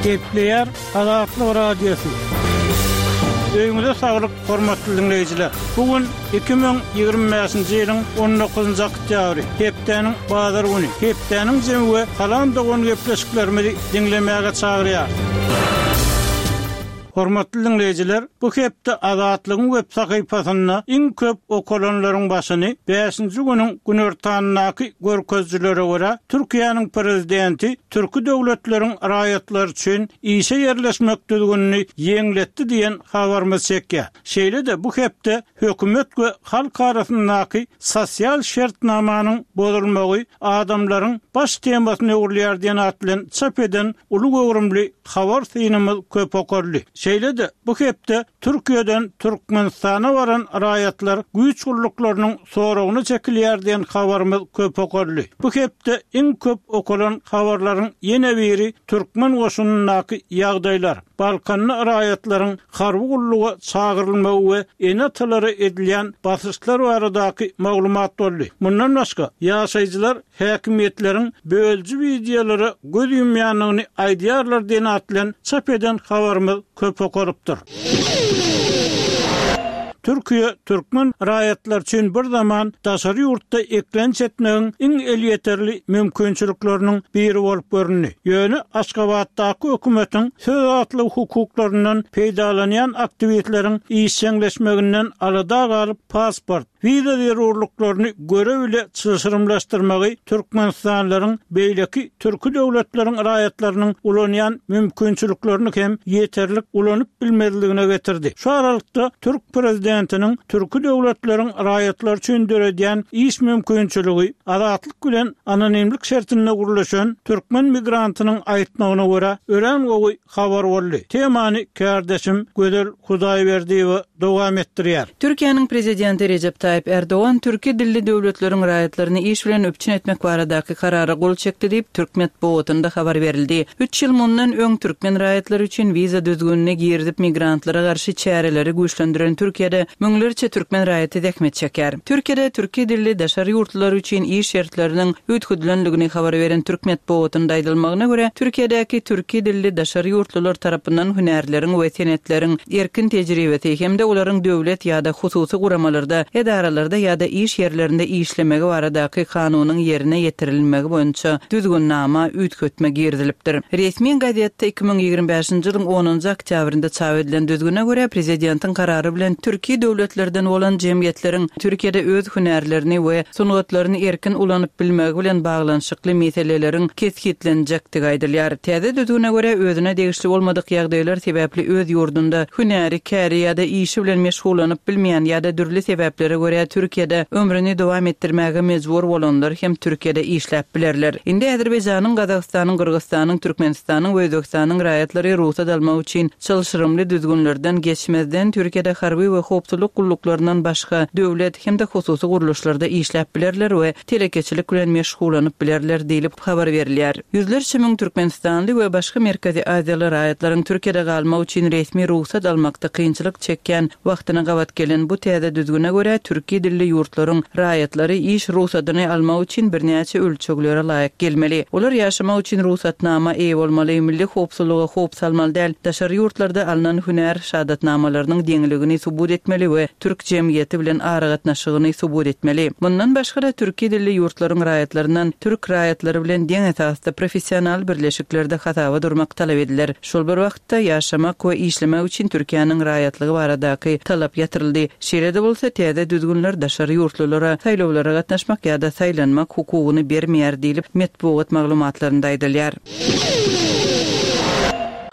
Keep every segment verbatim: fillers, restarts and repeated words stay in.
Gepleýär Azatlyk Radiosy. Öýüňize saglyk, hormatly diňleýjiler. Bu gün iki müň ýigrimi bäşinji ýylyň on dokuzynjy oktýabry, hepdäniň bazar güni. Hepdäniň jemi we Salam dogan gepleşiklerimizi diňlemäge çagyrýar. Hormatly diňleýjiler, bu hepde Azatlygyň web sahypasynda iň köp okalanlaryň başyny bäşinji günüň günortandaky görkezijilere görä Türkiýäniň prezidenti Türki döwletleriň raýatlary üçin işe ýerleşmek düzgünini ýeňletdi diýen habarymyz çekýär. Şeýle-de bu hepde hökümet we halk arasyndaky sosial şertnamanyň bozulmagy adamlaryň baş temasyny öwrülýär diýen at bilen çap eden uly göwrümli habar synymyz köp okaldy. Şeýle-de bu hepde Türkiýeden Türkmenistana baran raýatlar güýç gulluklarynyň soragyny çekilýär diýen habarymyz köp okaldy. Bu hepde iň köp okalan habarlaryň ýene biri Türkmen goşunyndaky ýagdaýlar, Balkanly raýatlaryň harby gulluga çagyrylmagy we ene-atalara edilýän basyşlar baradaky maglumat boldy. Mundan başga ýaşaýjylar häkimiýetleriň bölüji wideolara göz ýumýanyny aýdýarlar diýen at bilen çap eden habarymyz köp okalypdyr. Türkiýe türkmen raýatlar üçin bir zaman daşary ýurtda eklenç etmegiň iň elýeterli mümkinçilikleriniň biri bolup göründi. Ýöne Aşgabatdaky hökümetiň söz azatlygy hukuklaryndan peýdalanýan aktiwistleriň işjeňleşmeginden alada galyp pasport, wiza zerurlyklaryny görev ile çylşyrymlaşdyrmagy Türkmenistanlaryň beýleki türki döwletleriň raýatlarynyň ulanýan mümkinçiliklerini hem ýeterlik ulanyp bilmezligine getirdi. Şu aralykda Türk prezidentiniň türki döwletleriň raýatlary üçin döredýän iş mümkinçiligi azatlyk bilen anonimlik şertinde gurluşan türkmen migrantynyň aýtmagyna görä örän gowy habar boldy. Temany kardeşim Gözel Hudaýberdiýewa dowam etdirýär. Türkiýäniň prezidenti Recep Tayyip Erdoğan Türkiye dilli döwletleriň raýatlaryny iş bilen üpjün etmek baradaky karara gol çekdi diýip Türk metbugatynda habar berildi. Üç ýyl mundan öň türkmen raýatlary üçin wiza düzgünine girizip migrantlara garşy çäreleri güýçlendiren Türkiýede müňlerçe türkmen raýaty zähmet çeker. Türkiýede Türkiye dilli daşary ýurtlar üçin iş şertleriniň üýtgedilendigini habar beren Türk metbugatynda aýdylmagyna görä Türkiýedäki Türkiye dilli daşary ýurtlular tarapyndan hünärleriň we senetleriň erkin tejribesi hem-de olaryň döwlet ýa-da hususy guramalarda, edaralarda ýa-da iş ýerlerinde işlemegi baradaky kanunyň ýerine ýetirilmegi boýunça düzgünnama üýtgetme girizilipdir. Resmi gazetde iki müň ýigrimi bäşinji ýylyň onunjy oktýabrynda çap edilen düzgüne görä prezidentiň karary bilen Türkiye döwletlerden bolan jemgyýetleriň Türkiýede öz hünärlerini we sungatlaryny erkin ulanyp bilmegi bilen baglanyşykly meseleleriň kesgitlenjekdigi aýdylýar. Täze düzgüne görä özüne degişli bolmadyk ýagdaýlar sebäpli öz ýurdunda hünäri, käri ýa-da işi bilen meşgullanyp bilmeýän ýa-da dürli sebäplere görä Türkiýede ömrüni dowam etdirmäge mejbur bolanlar hem Türkiýede işläp bilerler. Indi Azerbaýjanyň, Gazagystanyň, Gyrgyzystanyň, Türkmenistanyň we Özbegistanyň raýatlary rugsat almak üçin çylşyrymly düzgünlerden geçmezden Türkiýede harby we howpsuzlyk gulluklaryndan başga döwlet hem-de hususy gurluşlarda işläp bilerler we telekeçilik bilen meşgullanyp bilerler diýlip habar berilýär. Ýüzlerçe müň Türkmenistanly we başga Merkezi Aziýaly raýatlaryň Türkiýede galmak üçin resmi rugsat almakda kynçylyk çekýän wagtyna gabat gelen bu täze düzgüne görä Türkiye dilli ýurtlaryň raýatlary iş rugsadyny almak üçin birnäçe ölçeglere laýyk gelmeli. Olar ýaşamak üçin rugsatnama eýe bolmaly, milli howpsuzlyga howp salmaly däl, daşary ýurtlarda alnan hünär şahadatnamalarynyň deňligini subut etmeli we türk jemgyýeti bilen aragatnaşygyny subut etmeli. Mundan başga-da Türkiye dilli ýurtlaryň raýatlaryndan türk raýatlary bilen deň esasda professional birleşiklerde hasaba durmak talap ediler. Şol bir wagtda ýaşamak we işlemek üçin Türkiýäniň raýatlygy baradaky talap ýatyryldy. Şeýle-de bolsa täze düzgünler daşary ýurtlulara saýlawlara gatnaşmak ýa-da saýlanmak hukugyny bermeýär diýlip metbugat maglumatlarynda aýdylýar.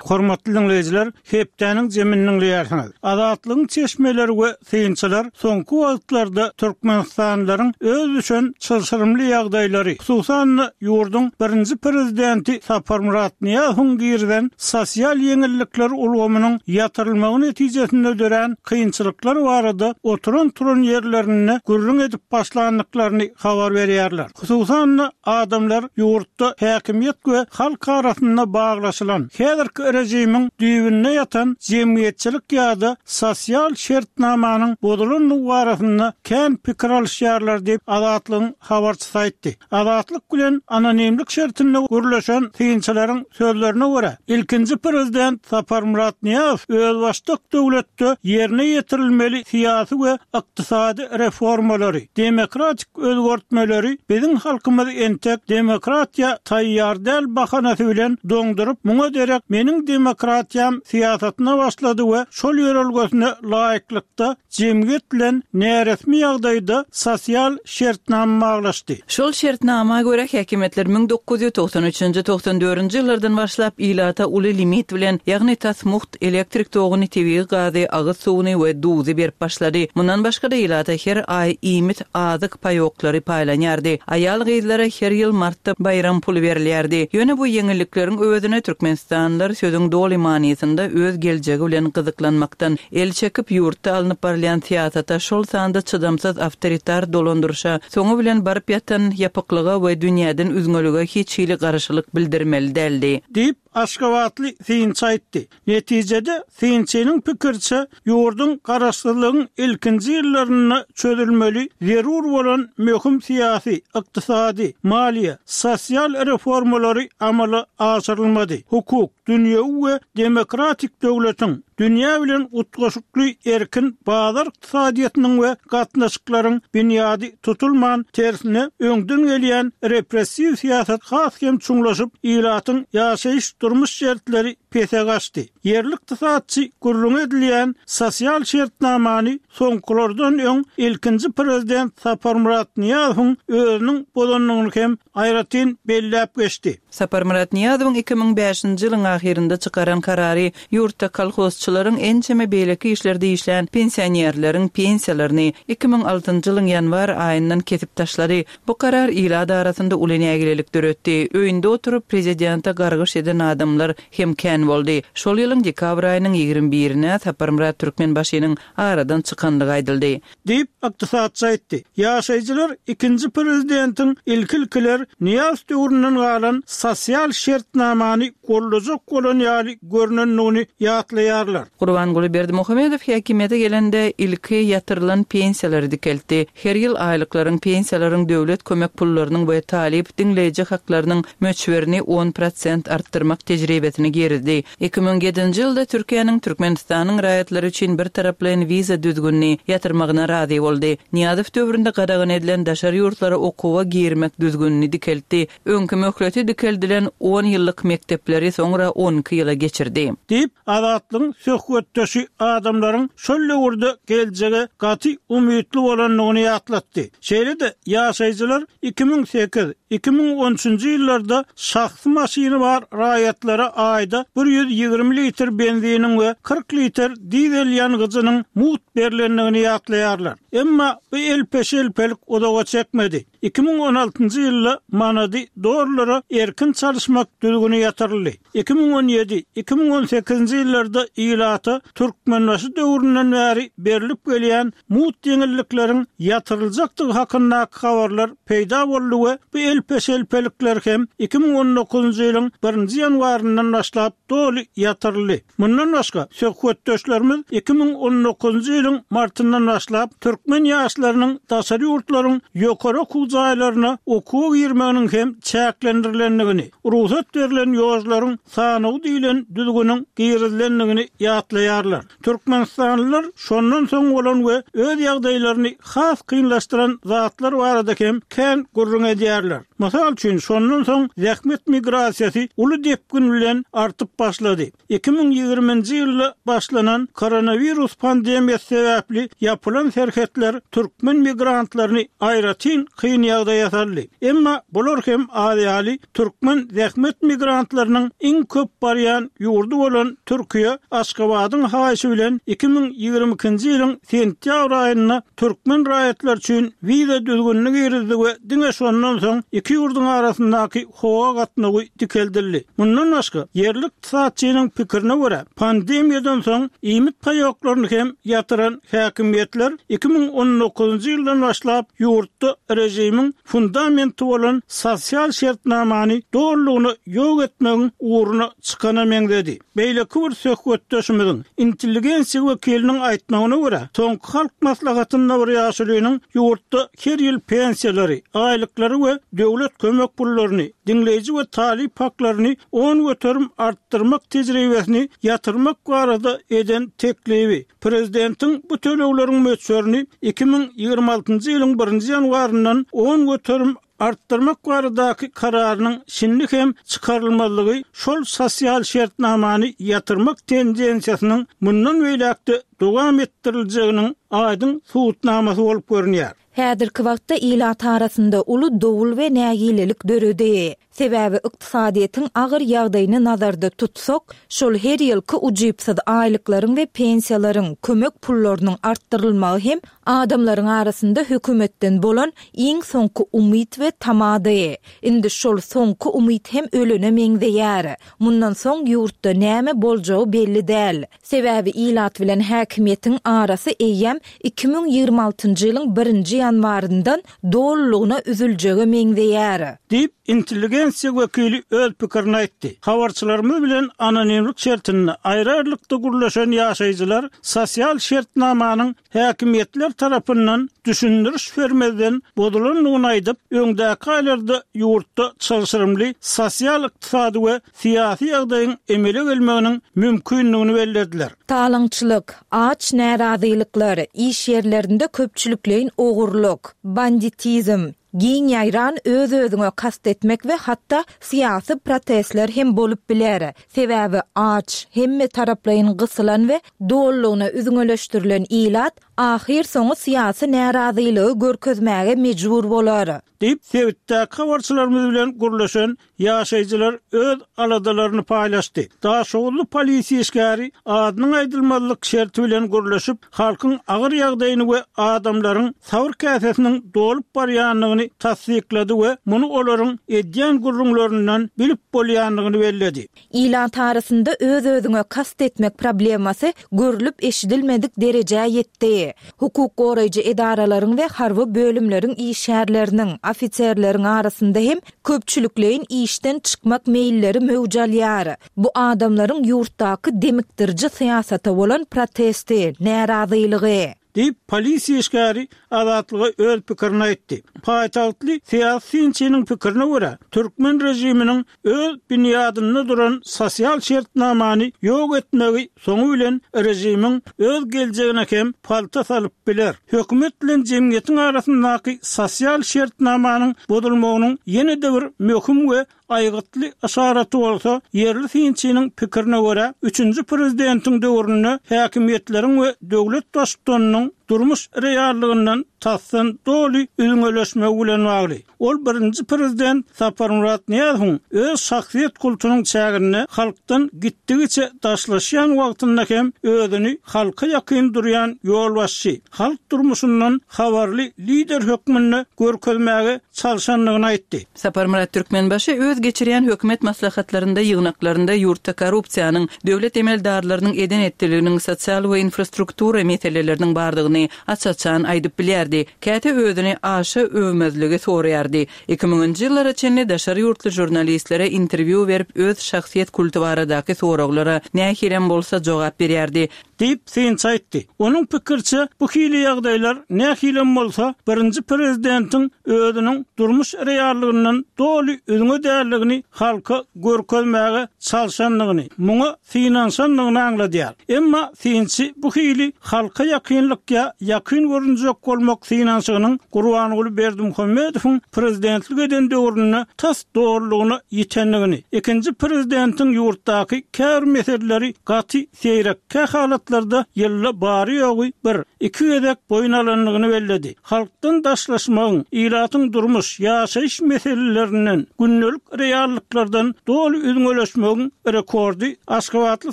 Hormatly dinleýjiler, hepdäniň jemini dinleýärsiňiz. Azatlygyň çeşmeleri we synçylar soňky wagtlarda Türkmenistanlylaryň öz düşen çylşyrymly ýagdaýlary, hususan-da ýurduň birinji prezidenti Saparmyrat Nyýazowyň girizen sosial ýeňillikler ulgamynyň ýatyrylmagy netijesinde dörän kynçylyklar barada oturan-turan ýerlerinde gürrüň edip başlandyklaryny habar berýärler. Hususan-da adamlar ýurtda häkimiýet we halk arasynda baglaşylan häzirki režimiň düýbünde ýatan jemgyýetçilik ýa-da sosial şertnamanyň bozulandygy barasynda kän pikir alyşýarlar diýip, Azatlygyň habarçysy aýtdy. Azatlyk bilen anonimlik şertinde gürleşen synçylaryň sözlerine görä, ilkinji prezident Saparmyrat Nyýazow özbaşdak döwletde ýerine ýetirilmeli syýasy we ykdysady reformalary, demokratik özgertmeleri biziň halkymyz entek demokratiýa taýýar däl bahanasy bilen doňduryp, muňa derek meniň demokratiýam syýasatyna başlady we şol ýörelgesine laýyklykda jemgyýet bilen näresmi ýagdaýda sosial şertnama baglaşdy. Şol şertnama görä häkimiýetler müň dokuz ýüz togsan üçünji, togsan dördünji ýyllardan başlap ilata uly limit bilen, ýagny tas mugt elektrik toguny, tebigy gazy, agyz suwuny we duzy berip başlady. Mundan başga-da ilata her aý iýmit, azyk paýoklary paýlanýardy. Aýal-gyzlara her ýyl martda baýram puly berilýärdi. Ýöne bu ýeňillikleriň özüne türkmenistanlylar sözüň doly manysynda öz geljegi bilen gyzyklanmakdan el çekip, ýurtda alnyp barylýan syýasata, şol sanda çydamsyz awtoritar dolandyryşa, soňy bilen baryp ýatan ýapyklyga we dünýäden üzňelige hiç hili garşylyk bildirmeli däldi. Diýip, Aşgabatly synçy aýtdy. Netijede synçynyň pikiriçe, ýurduň garaşsyzlygyň ilkinji ýyllarynda çözülmeli zerur bolan möhüm syýasy, ykdysady, maliýe, sosial reformalary amala aşyrylmady. Hukuk, dünýewi we demokratik döwletiň, dünýä bilen utgaşykly erkin bazar ykdysadyýetiniň we gatnaşyklaryň binýady tutulman, tersine öňden gelýän repressiw syýasat has hem çuňlaşyp, ilatyň ýaşaýyş durmuş şertleri pese gaçdy. Ýerli ykdysatçy gürrüň edilýän sosial şertnamany soňkulardan öň ilkinji prezident Saparmyrat Nyýazowyň özüniň bozandygyny hem aýratyn belläp geçdi. Saparmyrat Nyýazowyň iki müň bäşinji ýylyň ahyrynda çykaran karary ýurtda kolhozçylaryň ençeme beýleki işlerde işlän pensionerleriň pensiýalaryny iki müň altynjy ýylyň ýanwar aýyndan kesip taşlady. Bu karar ilat arasynda uly nägilelik döretdi. Öýünde oturyp prezidente gargyş eden adamlar hem kän boldy. Şol ýylyň dekabr aýynyň ýigrimi birine Saparmyrat Türkmenbaşynyň aradan çykanlygy aýdyldy. Diýip, ykdysatçy aýtdy. Ýaşaýjylar ikinji prezidentiň ilki-ilkiler Nyýazow döwründen galan sosial şertnamany gollajak bolan ýaly görnendigini ýatlaýarlar. Gurbanguly Berdimuhamedow häkimiýete gelende ilki ýatyrylan pensiýalary dikeltdi. Her ýyl aýlyklaryň, pensiýalaryň, döwlet kömek pullarynyň we talyp diňleýji haklarynyň möçberini on prosent artdyrmak tejribesini girizdi. Iki müň ýedinji ýylda Türkiýäniň Türkmenistanyň raýatlary üçin bir taraplaýyn wiza düzgünini ýatyrmagyna razy boldy. Nyýazow döwründe gadagan edilen daşary ýurtlara okuwa girmek düzgünini dikeltdi. Öňki möhleti dikeldilen on ýyllyk mekdepleri soňra on iki ýyla geçirdi. Diýip, Azatlygyň söhbetdeşi adamlaryň şol döwürde geljege gaty umytly bolandygyny ýatlatdy. Şeýle-de ýaşaýjylar iki müň sekiz, iki müň on üçünji ýyllarda şahsy maşyny bar raýatlara aýda bir ýüz ýigrimi litr benziniň we kyrk litr dizel ýangyjynyň mugt berlendigini ýatlaýarlar. Emma bu elpeşelpelik uzaga çekmedi. Iki müň on altynjy ýylda manady dollara erkin çalyşmak düzgüni ýatyryldy. Iki müň on ýedi, iki müň on sekizinji ýyllarda ilata Türkmenbaşy döwründen bäri berlip gelýän mugt ýeňillikleriň ýatyryljakdygy hakyndaky habarlar peýda boldy we bu elpeşelpelikler hem iki müň on dokuzynjy ýylyň birinji ýanwaryndan başlap doly ýatyryldy. Mundan başga söhbetdeşlerimiz iki müň on dokuzynjy ýylyň martyndan başlap türkmen ýaşlarynyň daşary ýurtlaryň ýokary okuw jaýlaryna okuwa girmeginiň hem çäklendirilendigini, rugsat berlen ýolcularyň sanawy diýlen düzgüniň girizilendigini ýatlaýarlar. Türkmenistanlylar şondan soň bolan we öz ýagdaýlaryny has kynlaşdyran zatlar barada hem kän gürrüň edýärler. Mysal üçin, şondan soň zähmet migrasiýasy uly depgin bilen artyp başlady. Iki müň ýigriminji ýylda başlanan koronawirus pandemiýasy sebäpli ýapylan serhetler türkmen migrantlaryny aýratyn kyn ýagdaýa saldy. Emma bular hem az ýaly türkmen zähmet migrantlarynyň iň köp barýan ýurdy bolan Türkiýe Aşgabadyň haýyşy bilen iki müň ýigrimi ikinji ýylyň sentýabr aýynda türkmen raýatlary üçin wiza düzgünini girizdi we diňe şondan soň iki iki ýurduň arasyndaky howa gatnawy dikeldildi. Mundan başga, ýerli ykdysatçynyň pikirine görä, pandemiýadan soň iýmit paýoklaryny hem ýatyran häkimiýetler iki müň on dokuzynjy ýyldan başlap ýurtda režimiň fundamenti bolan sosial şertnamany dolulygyna ýok etmegiň ugruna çykana meňzedi. Beýleki bir söhbetdeşimiziň intelligensiýa wekiliniň aýtmagyna görä, soňky halk maslahatynda bir ýaşulynyň ýurtda her ýyl pensiýalary, aýlyklary we döwlet kömek pullaryny, diňleýji we talyp haklaryny on göterim artdyrmak tejribesini ýatyrmak barada eden teklibi, prezidentiň bu tölegleriň möçberini iki müň ýigrimi altynjy ýylyň birinji ýanwaryndan on göterim artdyrmak baradaky kararynyň şindi hem çykarylmazlygy şol sosial şertnamany ýatyrmak tendensiýasynyň mundan beýläkde dowam etdiriljeginiň aýdyň subutnamasy bolup görünýär. Häzirki wagtda ilat arasynda uly dowul we nägilelik döredi. Sebäbi ykdysadyýetiň agyr ýagdaýyny nazarda tutsak, şol her ýylky ujypsyz aýlyklaryň we pensiýalaryň, kömek pullarynyň artdyrylmagy hem adamlaryň arasynda hökümetden bolan iň soňky umyt we tamady. Indi şol soňky umyt hem ölene meňzeýär. Mundan soň ýurtda näme boljagy belli däl. Sebäbi ilat bilen häkimiýetiň arasy eýýäm iki müň ýigrimi altynjy ýylyň birinji ýanwaryndan dolulygyna üzüljege meňzeýär. Diýip, intelligensiýa wekili öz pikirini aýtdy. Habarçylarymyz bilen anonimlik şertinde aýry-aýrylykda gürleşen ýaşaýjylar sosial şertnamanyň häkimiýetler tarapyndan düşündiriş bermezden bozulandygyny aýdyp, öňdäki aýlarda ýurtda çylşyrymly sosial ykdysady we syýasy ýagdaýyň emele gelmeginiň mümkinligini bellediler. Talaňçylyk, aç närazylyklar, iş ýerlerinde köpçülikleýin ogurlyk, banditizm, giň ýaýran öz-özüňe kast etmek we hatda syýasy protestler hem bolup biler. Sebäbi aç, hemme taraplaýyn gysylan we dolulygyna üzňeleşdirilen ilat ahyr soňy syýasy närazylygy görkezmäge mejbur bolar. Diýip, sebitdäki habarçylarymyz bilen gürleşen ýaşaýjylar öz aladalaryny paýlaşdy. Daşoguzly polisiýa işgäri adynyň aýdylmazlyk şerti bilen gürleşip, halkyň agyr ýagdaýyny we adamlaryň sabyr käsesiniň dolup barýandygyny tassyklady we muny olaryň edýän gürrüňlerinden bilip bolýandygyny belledi. Ilat arasynda öz-özüňe kast etmek problemasy görülip eşidilmedik derejä ýetdi. Hukuk goraýjy edaralaryň we harby bölümleriň işgärleriniň, ofiserleriň arasynda hem köpçülikleýin işden çykmak meýilleri möwjalýar. Bu adamlaryň ýurtdaky demikdiriji syýasata bolan protesti, närazylygy. Diýip, polisiýa işgäri Azatlyga öz pikirini aýtdy. Paýtagtly syýasy synçynyň pikirine görä, türkmen režiminiň öz binýadynda duran sosial şertnamany ýok etmegi soňy bilen režimiň öz geljegine hem palta salyp biler. Hökümet bilen jemgyýetiň arasyndaky sosial şertnamanyň bozulmagynyň ýene-de bir möhüm we aýgytly yşaraty bolsa, ýerli synçynyň pikirine görä, üçünji prezidentiň döwründe häkimiýetleriň we döwlet baştutanynyň durmuş reallygyndan tasdan doly üzňeleşmegi bilen bagly. Ol birinji prezident Saparmyrat Nyýazowyň öz şahsyýet kultunyň çäginde halkdan gitdigiçe daşlaşýan wagtynda hem özüni halka ýakyn durýan ýolbaşçy, halk durmuşyndan habarly lider hökmünde görkezmäge çalşandygyny aýtdy. Saparmyrat Türkmenbaşy öz geçirýän hökümet maslahatlarynda, ýygnaklarynda ýurtda korrupsiýanyň, döwlet emeldarlarynyň eden etdiliginiň sosial we infrastruktura meseleleriniň bardygyny aç-açan aýdyp bilýärdi. Käte özüni aşa övmezligi soraýardy. Iki müňünji ýyllara çenli daşary ýurtly žurnalistlere interwýu berip öz şahsyýet kulty baradaky soraglara nähilem bolsa jogap berýärdi. Diýip, synçy aýtdy. Onuň pikirçe, bu hili ýagdaýlar nähilem bolsa birinji prezidentiň özüniň durmuş reallygyndan doly üzňe däldigini halka görkezmäge çalşandygyny, muňa synanyşandygyny aňladýar. Emma synçy bu hili halka ýakynlyk ýa ýakyn görünjek bolmak synanyşygynyň Gurbanguly Berdimuhamedowyň prezidentlik eden döwründe tas dolulygyna ýitendigini, ikinji prezidentiň ýurtdaky käbir meseleleri gaty seýrek, kä halatlarda ýylda bary ýogy bir, iki gezek boýun alandygyny belledi. Halkdan daşlaşmagyň, ilatyň durmuş, ýaşaýyş meselelerinden, gündelik reallyklardan doly üzňeleşmegiň rekordy Aşgabatly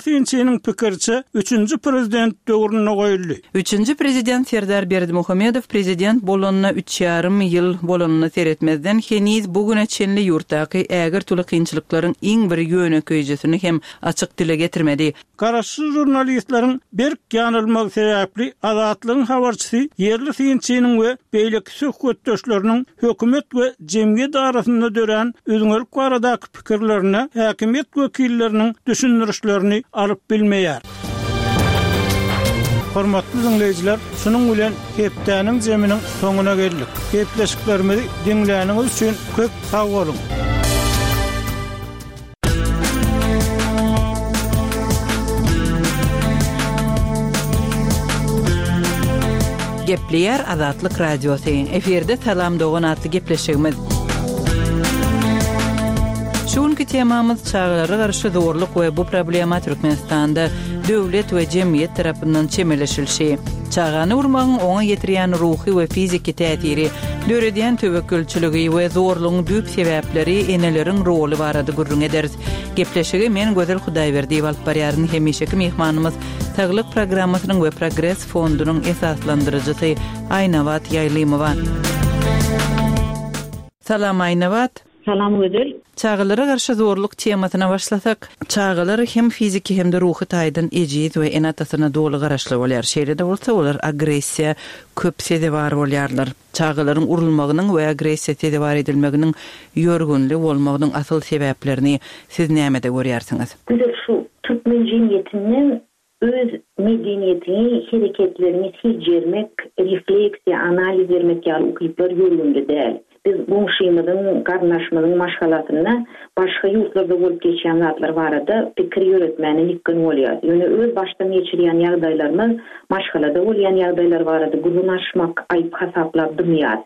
synçynyň pikirçe üçünji prezident döwründe goýuldy. Üçünji prezident Prezident Serdar Berdimuhamedow prezident bolanyna üç ýarym ýyl bolanyna seretmezden heniz bu güne çenli ýurtdaky ägirt uly kynçylyklaryň iň bir ýönekeýjesini hem açyk dile getirmedi. Garaşsyz žurnalistleriň berk ýanylmagy sebäpli Azatlygyň habarçysy ýerli synçynyň we beýleki söhbetdeşleriniň hökümet we jemgyýet arasynda dörän üzňelik baradaky pikirlerine häkimiýet wekilleriniň düşündirişlerini alyp bilmeýär. Hormatly dinleýjiler, şunuň bilen hepdäniň zeminiň soňuna geldik. Gepleşiklerimizi diňläniňiz üçin köp sag boluň. Gepleýär Azatlyk Radiosy. Efirde Salam Dogan atly gepleşigimiz. Şu günkü temamyz çagalara garşy zorluk we bu problema Türkmenistanda döwlet we jemgyýet tarapyndan çemeleşilişi. Çagany urmagyň oňa ýetirýän ruhy we fiziki täsiri, döredýän töwekgelçiligi we zorlugyň düýp sebäpleri eneleriň roly barada gürrüň ederiz. Gepleşigi men Gözel Hudaýberdiýewa alyp barýaryn. Hemişeki myhmanymyz Saglyk programmasynyň we Progres fondunyň esaslandyryjysy Aýnabat Ýaýlymowa. Salam Aýnabat. Salam Gözel. Çagalara garşy zorluk temasyna başlasak, çagalar hem fiziki hem de ruhy taýdan ejiz we ene-atasyna doly garaşly bolýar. Şeýle-de bolsa olar agressiýa köp sezewar bolýarlar. Çagalaryň urulmagynyň we agressiýa sezewar edilmeginiň ýörgünli bolmagynyň asyl sebäplerini siz nämede görýärsiňiz? Güzel, şu türkmen jemgyýetinden öz medeniýetini, hereketlerini seljermek, refleksiýa, analiz bermek ýaly ukyplar ýörgünli däl. Biz goňşymyzyň, garyndaşymyzyň maşgalasynda başga ýurtlarda bolup geçýän zatlar barada pikir ýöretmäne ýykgyn bolýar. Ýöne öz başdan geçirýän ýagdaýlarymyz, maşgalada bolýan ýagdaýlar barada gürrüň açmak aýyp hasaplap dymýar.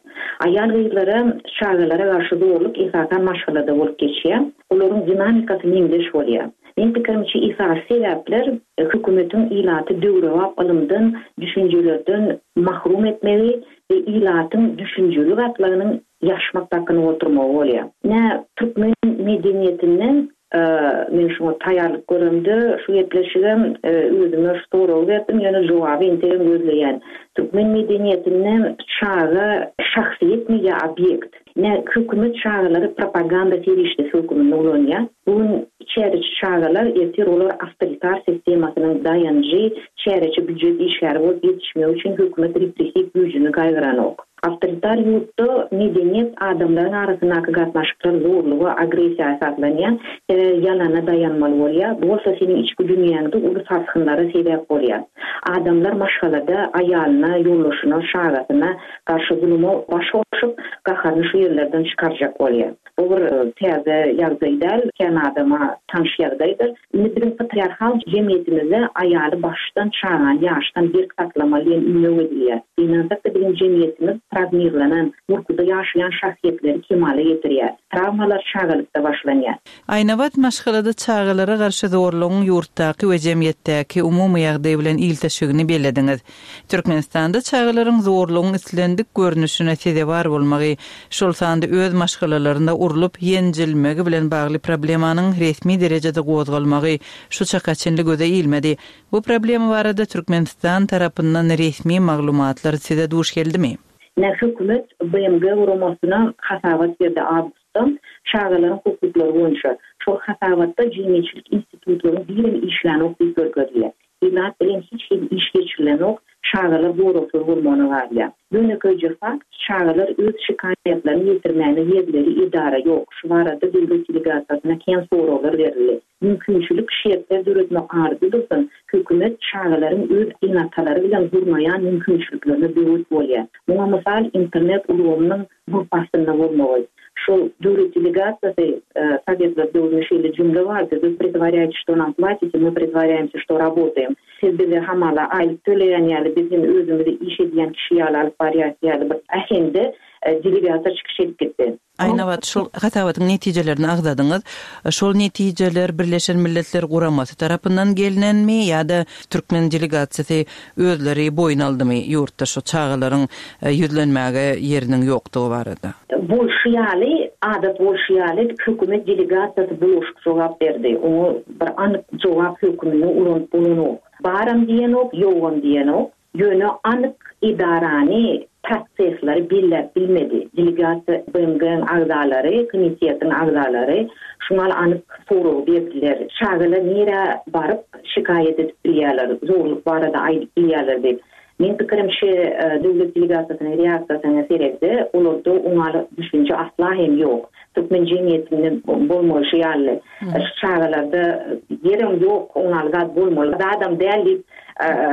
Aýal gyzlara, çagalara garşy zorluk esasan maşgalada bolup geçýär. Olaryň dinamikasy meňzeş bolýar. Men pikirimçe esasy sebäpler hökümetiň ilaty döwrebap ylymdan, düşünjelerden mahrum etmegi we ilatyň düşünjeli gatlagynyň ýaşmak dakyny oturmagy bolýar. Nä türkmen medeniýetinden, e, men şuňa taýýarlyk göremde, şu gepleşigem, e, özüme şu soragy berdim, ýöne jogaby entegem gözleýän. Türkmen medeniýetinden çaga şahsyýetmi ýa obýekt? Nä hökümet çagalary propaganda serişdesi hökmünde ulanýar. Bu gün çäreçi çagalar ertir olar awtoritar sistemasynyň daýanjy, çäreçi býujet işgäri bolup ýetişmegi üçin hökümet repressiw güýjüni gaýgyranok. Awtoritar ýurtda medeniýet adamlaryň arasyndaky gatnaşyklar zorluga, agressiýa esaslanýar, sebäbi ýalana daýanmaly bolýar. Bu bolsa seniň içki dünýäňde uly sarsgynlara sebäp bolýar. Adamlar maşgalada aýalyna, ýoldaşyna, şagasyna garşy zuluma baş goşup, gaharyny şu ýerlerden çykarjak bolýar. Bu bir, e, täze ýagdaý däl, kän adama tanyş ýagdaýdyr. Indi biziň patriarhal jemgyýetimizde aýaly başdan, çagany ýaşdan berk saklamaly diýen ündew edilýär. Ynansak-da biziň jemgyýetimiz travmirlenen, gorkuda ýaşaýan şahsyýetleri kemala getirýär. Travmalar çagalykda başlanýar. Aýnabat maşgalada çagalara garşy zorlugyň ýurtdaky we jemgyýetdäki umumy ýagdaý bilen ilteşigini bellediňiz. Türkmenistanda çagalaryň zorlugyň islendik görnüşine sezewar bolmagy, şol sanda öz maşgalalarynda urlup ýenjilmegi bilen bagly problemanyň resmi derejede gozgalmagy şu çaka çenli göze ilmedi. Bu problema barada Türkmenistan tarapyndan resmi maglumatlar size duş geldimi? Ne hökümet B M G guramasyna hasabat berdi awgustda çagalaryň hukuklary boýunça. Şol hasabatda jemgyýetçilik institutlaryň birem işlänok diýip görkezilýär. Ilat bilen hiç hili iş geçirilenok, çagalar goragsyz bolmagyna galýar. Ýönekeýje fakt, çagalar öz şikaýatlaryny ýetirmäne ýerleri edara ýok. Şu barada döwlet delegasiýasyna kän soraglar berildi. Mümkinçilik şertler döretmek ardy dursun, hökümet çagalaryň öz enatalary bilen gurnaýan mümkinçiliklerine böwet bolýar. Muňa mysal internet ulgamynyň gurpasynda bolmagy. Şu döwlet delegasiýasy, e, Sovetler döwründe şeýle jümle bardy: Вы притворяетесь, что нам платите, мы притворяемся, что работаем. Siz bize hamala aýlyk töleýän ýaly, biz hem özümizi iş edýän kişi ýaly alyp barýas ýaly bir äheňde, e, delegasiýa çykyş edip gitdi. Aýnabat, şol hasabatyň netijelerini agzadyňyz. Şol netijeler Birleşen Milletler Guramasy tarapyndan gelinenmi ýa-da türkmen delegasiýasy özleri boýun aldymy ýurtda şu çagalaryň, e, ýüzlenmäge ýeriniň ýokdugy barada? Bolşy ýaly, adat bolşy ýaly hökümet delegasiýasy bulaşyk jogap berdi. Oňa bir anyk jogap hökümini ulanyp bolanok. Baram diýenok, ýogam diýenok. Ýöne anyk edarany prosesleri belläp bilmedi. Delegasiýa B M G-niň agzalary, komitetiň agzalary şuňa anyk sorag berdiler. Çagalar nirä baryp şikaýat edip bilýärler, zorluk barada aýdyp bilýärler diýip. Men pikirimçe, döwlet delegasiýasynyň reaksiýasyna seredse, olarda oňa düşünje asla hem ýok. Türkmen jemgyýetinde bolmaly ýaly. Şu çagalarda ýerem ýok, oňa zat bolmaly. Adam däl diýip,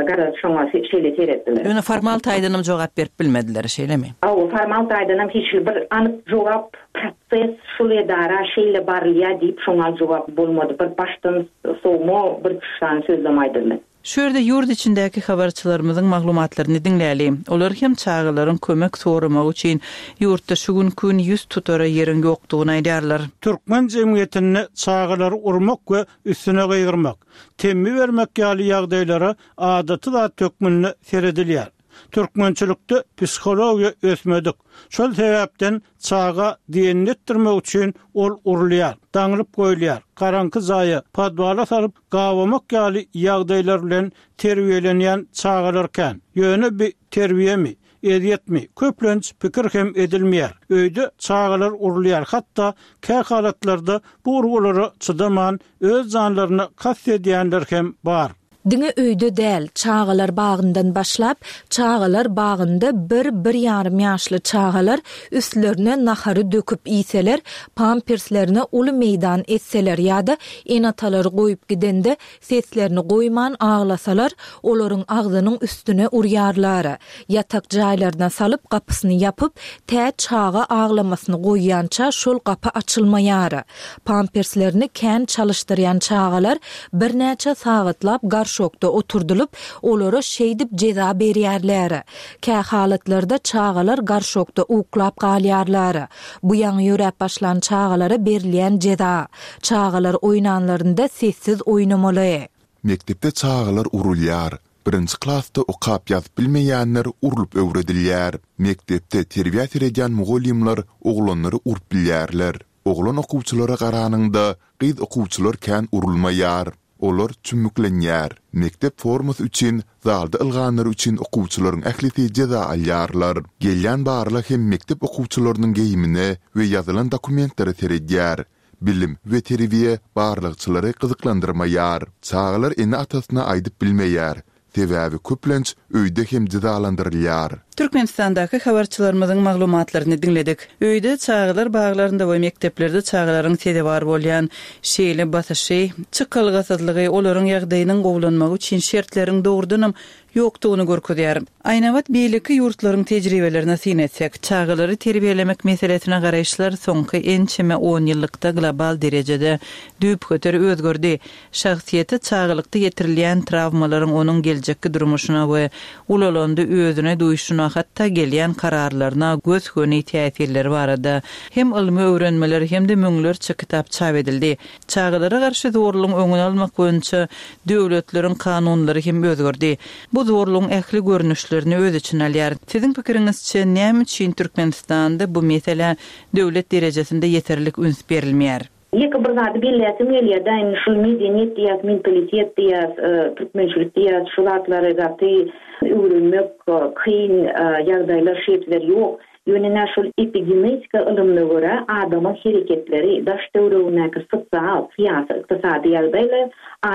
garaz şoňa şeýle seretdiler. Ýöne formal taýdanam jogap berip bilmediler, şeýlemi? Hawa, formal taýdanam hiç bir anyk jogap proses şul edara şeýle barylýar diýip şoňa jogap bolmady. Bir başdan sowma bir sany sözlem aýdyldy. Şu ýerde ýurt içindäki habarçylarymyzyň maglumatlaryny diňläli. Olar hem çagalaryň kömek soramagy üçin ýurtda şu gün gün ýüz tutara ýeriň ýokdugyny aýdarlar. Türkmen jemgyýetinde çagalary urmak we üstüne gygyrmak, temmi bermek ýaly ýagdaýlara adaty zat hökmünde seredilýär. Türkmençilikde psihologiýa ösmedik. Şol sebäpden çaga diýenletdirmek üçin ol urulýar, daňylyp goýulýar, garaňky jaýa, podwala salyp gawamak ýaly ýagdaýlar bilen terbiýelenýän çagalar kän. Ýöne bir terbiýemi, ezýetmi, köplenç pikir hem edilmeýär. Öýde çagalar urulýar, hatda kä halatlarda bu urgulara çydaman öz janlaryna kast edýänler hem bar. Diňe öýde däl, çagalar bagyndan başlap, çagalar bagynda bir, bir ýarym ýaşly çagalar üstlerine nahary döküp iýseler, pamperslerine uly meýdan etseler ýa-da ene-atalary goýup gidende seslerini goýman aglasalar, olaryň agzynyň üstüne urýarlar. Ýatak jaýlaryna salyp gapysyny ýapyp, tä çaga aglamasyny goýýança şol gapy açylmaýar. Pamperslerini kän çalyşdyrýan çagalar birnäçe sagatlap garşokda oturdylyp, olara şeýdip jeza berýärler. Kä halatlarda çagalar garşokda uklap galýarlar. Bu ýaňy ýöräp başlan çagalara berilýän jeza. Çagalar oýnanlarynda sessiz oýnamaly. Mekdepde çagalar urulýar. Birinji klasda okap ýazyp bilmeýänler urlup öwredilýär. Mekdepde terbiýe seredýän mugallymlar oglanlary urup bilýärler. Oglan okuwçylara garanyňda gyz okuwçylar kän urulmaýar. Olar çümmüklenýär. Mekdep formasy üçin zalda ylganlar üçin okuwçylaryň ählisi jeza alýarlar. Gelýän barla hem mekdep okuwçylarynyň geýimine we ýazylan dokumentlere seredýär. Bilim we terbiýe barlagçylary gyzyklandyrmaýar. Çagalar ene-atasyna aýdyp bilmeýär. Sebäbi köplenç öýde hem jezalandyrylýar. Türkmenistandaky habarçylarymyzyň maglumatlaryny diňledik. Öýde çagalar baglarynda we mekdeplerde çagalaryň sezewar bolýan şeýle basyşy, çykalgasyzlygy, olaryň ýagdaýynyň gowulanmagy üçin şertleriň dogrudanam ýokdugyny görkezýär. Aýnabat beýleki ýurtlaryň tejribelerine syn etsek, çagalary terbiýelemek meselesine garaýyşlar soňky ençeme on ýyllykda global derejede düýpgöter özgerdi. Şahsyýete çagalykda ýetirilýän travmalaryň onuň geljekki durmuşyna we ulalandy özüne duýuşyna, hatda gelýän kararlaryna gös-göni täsirleri barada hem ylmy öwrenmeler hem-de müňlerçe kitap çap edildi. Çagalara garşy zorlugyň öňüni almak boýunça döwletleriň kanunlary hem özgerdi. Bu zorlugyň ähli görnüşlerini öz içine alýar. Siziň pikiriňizçe näme üçin Türkmenistanda bu mesele döwlet derejesinde ýeterlik üns berilmeýär? Ýeke bir zady belläsim gelýär, daýym şu medeniýet diýýäs, mentalitet diýýäs, e, türkmençilik diýýäs, şu zatlary gaty öwrenmek, e, kyn, e, ýagdaýlar, şertler ýok. Ýöne näme şol epigenetika ylymyna görä adamyň hereketleri, daş töweregindäki sosial, syýasy, ykdysady ýagdaýlar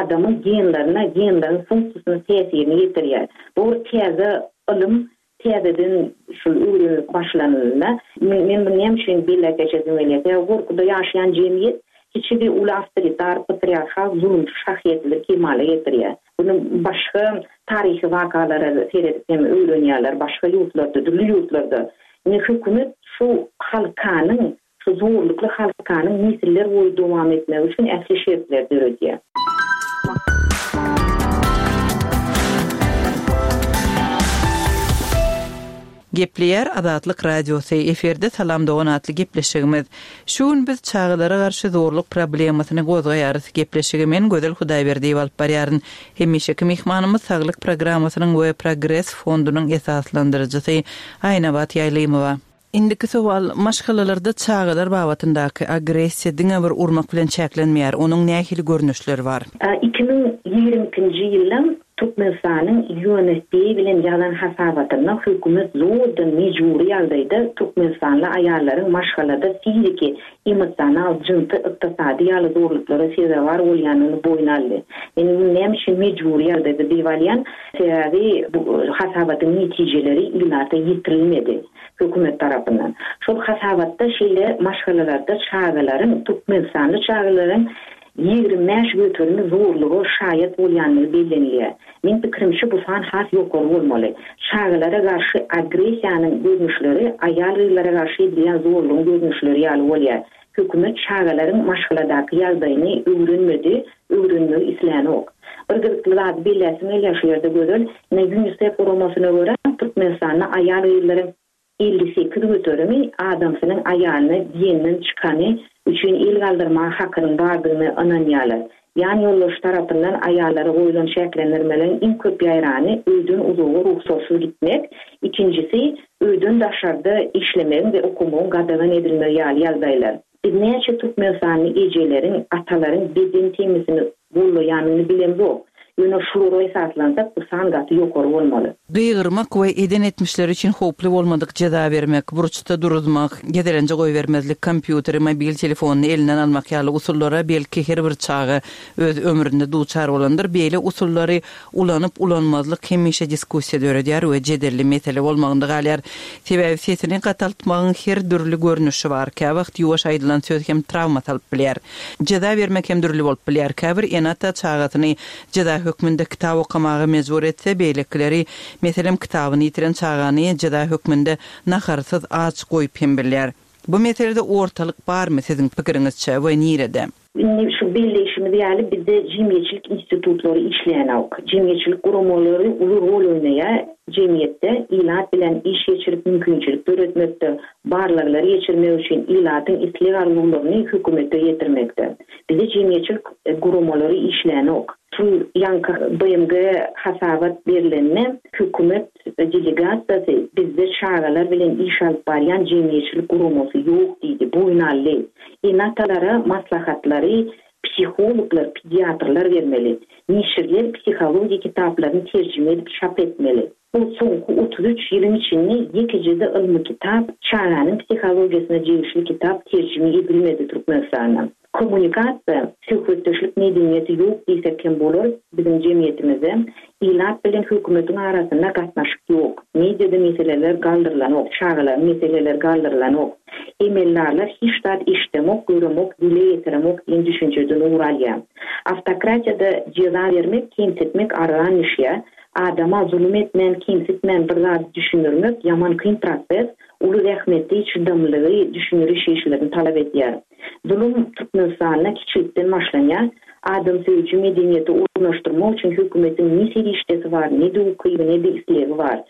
adamyň genlerine, genleriň funksiýasyna täsirini ýetirýär. Bu bir täze ylym, täzeden şu öwrenilip başlanylanda, men, men bunu näme üçin belläp geçesim gelýär? Sebäbi gorkuda ýaşaýan jemgyýet kiçi bir uly awtoritar, patriarhal, zulumçy şahsyýetleri kemala getirýär. Bunu başga taryhy wakalara seredip hem öwrenýärler, başga ýurtlarda, dürli ýurtlarda. Ne hökümet şu halkanyň, şu zorlukly halkanyň nesiller boýy dowam etmegi üçin ähli şertler döredýär. Gepleýär Azatlyk Radiosy, efirde Salam Dogan atly gepleşigimiz. Şu gün biz çagalara garşy zorluk problemasyny gozgaýarys. Gepleşigi men Gözel Hudaýberdiýewa alyp barýaryn. Hemişeki myhmanymyz Saglyk programmasynyň we Progres fondunyň esaslandyryjysy Aýnabat Ýaýlymowa. Indiki sowal, maşgalalarda çagalar babatyndaky agressiýa diňe bir urmak bilen çäklenmeýär. Onuň nähili görnüşleri bar? Iki müň ýigrimi ikinji ýylda Türkmenistanyň U N F P A bilen ýazan hasabatynda hökümet zordan mejbury ýagdaýda türkmenistanly aýallaryň maşgalada fiziki, emosional, jynsy, ykdysady ýaly zorluklara sezewar bolýanyny boýun aldy. Men muny näme üçin mejbury ýagdaýda diýip alýan? Sebäbi bu hasabatyň netijeleri ilata ýetirilmedi hökümet tarapyndan. Şol hasabatda şeýle maşgalalarda çagalaryň, türkmenistanly çagalaryň ýigrimi bäş göterimi zorluga şaýat bolýandygy bellenilýär. Meň pikirimçe, bu san has ýokary bolmaly. Çagalara garşy agressiýanyň görnüşleri aýal-gyzlara garşy edilýän zorlugyň görnüşleri ýaly bolýar. Hökümet çagalaryň maşgaladaky ýagdaýyny öwrenmedi, öwrenmegi islänok. Bir gyzykly zady belläsim gelýär şu ýerde, Gözel. Ine, UNICEF guramasyna görä, Türkmenistanda aýal-gyzlaryň elli sekiz göterimi adamsynyň aýalyna diýenden çykany üçin el galdyrmaga hakynyň bardygyny ynanýarlar. Ýan ýoldaş tarapyndan aýallara goýlan çäklendirmeleriň iň köp ýaýrany öýden uzaga rugsatsyz gitmek, ikinjisi öýden daşarda işlemegiň we okamagyň gadagan edilmegi ýaly ýagdaýlar. Biz näçe türkmenistanly ejeleriň, atalaryň beden temmisini gollaýanyny bilemzok. Ýöne şulara esaslansak, bu san gaty ýokary bolmaly. Gygyrmak we eden etmişleri üçin howply bolmadyk jeza bermek, burçda duruzmak, gezelenje goýbermezlik, kompýuteri, mobil telefonyny elinden almak ýaly usullara belki her bir çaga öz ömründe duçar bolandyr. Beýle usullary ulanyp ulanmazlyk hemişe diskussiýa döredýär we jedelli mesele bolmagynda galýar. Sebäbi sesini gataltmagyň her dürli görnüşi bar. Käwagt ýuwaş aýdylan söz hem trawma salyp bilýär. Jeza bermek hem dürli bolup bilýär. Käbir ene-ata çagasyny jeza hökmünde kitap okamaga mejbur etse, beýlekileri, meselem, kitabyny ýitiren çagany jeza hökmünde naharsyz aç goýup hem bilýär. Bu meselede ortalyk barmy siziň pikiriňizçe we nirede? Indi şu belleýşimiz ýaly, bizde jemgyýetçilik institutlary işleýänok. Jemgyýetçilik guramalary uly rol oýnaýar jemgyýetde, ilat bilen iş geçirip mümkinçilik döretmekde, barlaglary geçirmek üçin ilatyň isleg arzuwlaryny hökümete ýetirmekde. Bizde jemgyýetçilik guramalary işleýänok. Şu ýanky B M G hasabat berilende hökümet delegasiýasy bizde çagalar bilen iş alyp barýan jemgyýetçilik guramasy ýok diýdi, boýun aldy. Ene-atalara maslahatlary psihologlar, pediatrlar bermeli. Neşirler psihologik kitaplaryny terjime edip çap etmeli. Bu soňky otuz üç ýylyň içinde ýekejede ylmy kitap, çaganyň psihologiýasyna degişli kitap terjime edilmedi Türkmenistanda. Kommunikasiýa, söhbetdeşlik medeniýeti ýok diýsek hem bolar biziň jemgyýetimizde. Ilat bilen hökümetiň arasynda gatnaşyk ýok. Mediada meseleler galdyrylanok, çagalaryň meseleleri galdyrylanok. Emeldarlar hiç zat eşidemok, göremok, dile getiremok diýen düşünjeden ugur alýar. Awtokratiýada jeza bermek, kemsitmek arzan düşýär. Adama zulum etmän, kemsitmän bir zady düşündirmek ýaman kyn proses, uly zähmeti, çydamlygy, düşündiriş işlerini talap edýär. Zulum Türkmenistanda kiçilikden başlanýar. Adam söýüji medeniýeti ornaşdyrmak üçin hökümetiň ne serişdesi bar, ne de ukyby, ne de islegi bar.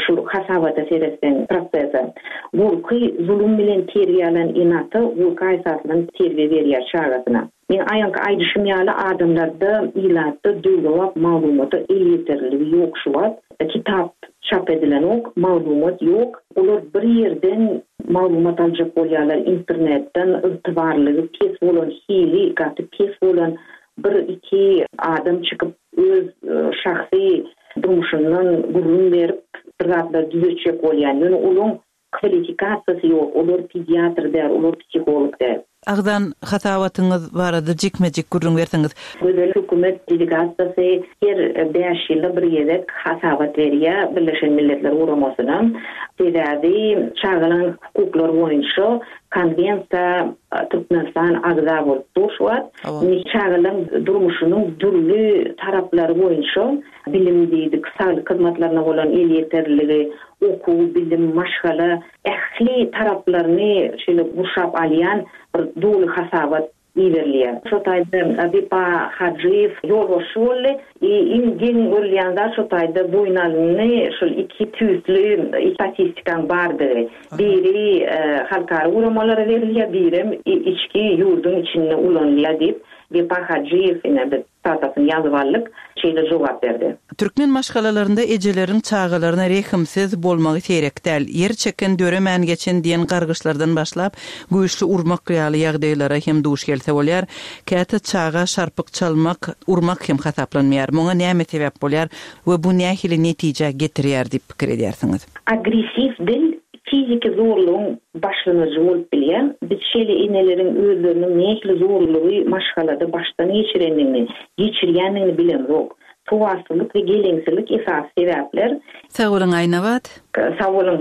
Şu hasabata seretseň prosese. Gorky zulum bilen terbiýe alan ene-ata gorky esasyny terbiýe berýär çagasyna. Men aýanky aýdyşym ýaly, adamlarda, ilatda döwrebap maglumata elýeterliligi ýok şu wagt. Kitap çap edilenok, maglumat ýok. Olar bir ýerden maglumat aljak bolýarlar, internetden ygtybarlygy pes bolan, hili gaty pes bolan bir iki adam çykyp öz şahsy durmuşyndan gürrüň berip bir zatlar düzetjek bolýan. Ýöne olaryň kwalifikasiýasy ýok, olar pediatr däl, olar psiholog däl. Agzan hasabatyňyz barada jikme-jik gürrüň berseňiz. Gözel, hökümet delegasiýasy her bäş ýylda bir gezek hasabat berýär Birleşen Milletler Guramasyna. Sebäbi çagalaryň hukuklary boýunça konwensiýa Türkmenistan agza bolup dur şu wagt. Indi çagalaryň durmuşynyň dürli taraplary boýunça bilim diýdik, saglyk hyzmatlaryna bolan elýeterliligi, okuw, bilim, maşgala ähli taraplaryny şeýle gurşap alýan bir doly hasabat iberilýär. Şo taýda Wepa Hajyýew ýolbaşçy boldy. Iň geň görülýän zat, şo taýda boýun alyndy, şol iki tüýsli statistikaň bardygy. Biri halkara guramalara berilýär, birem içki ýurduň içinde ulanylýar diýip, Wepa Hajyýew ine biz sitatasyny ýazyp aldyk, şeýle jogap berdi. Türkmen maşgalalarynda ejeleriň çagalaryna rehimsiz bolmagy seýrek däl. Ýer çeken döremän geçen diýen gargyşlardan başlap, güýçli urmak ýaly ýagdaýlara hem duş gelse bolýar. Käte çaga şarpyk çalmak, urmak hem hasaplanmaýar. Muňa näme sebäp bolýar we bu nähili netije getirýär diýip pikir edýärsiňiz? Agressiw dil fiziki zorlugyň başlangyjy bolup bilýär. Biz şeýle eneleriň özleriniň nähili zorlugy maşgalada başdan geçirendigini, geçirýändigini bilemzok. Sowatsyzlyk we geleňsizlik esasy sebäpler. Sag boluň Aýnabat. Sag boluň.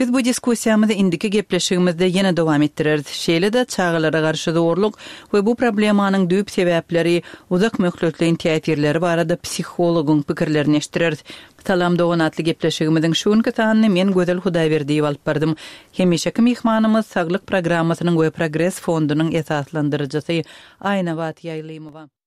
Biz bu diskussiýamyzy indiki gepleşigimizde ýene dowam etdireris. Şeýle-de çagalara garşy zorluk we bu problemanyň düýp sebäpleri, uzak möhletleýin täsirleri barada psihologyň pikirlerini eşitdireris. Salam dogan atly gepleşigimiziň şu günki sanyny men Gözel Hudaýberdiýewa alyp bardym. Hemişeki myhmanymyz Saglyk programmasynyň we Progres fondunyň esaslandyryjysy Aýnabat Ýaýlymowa.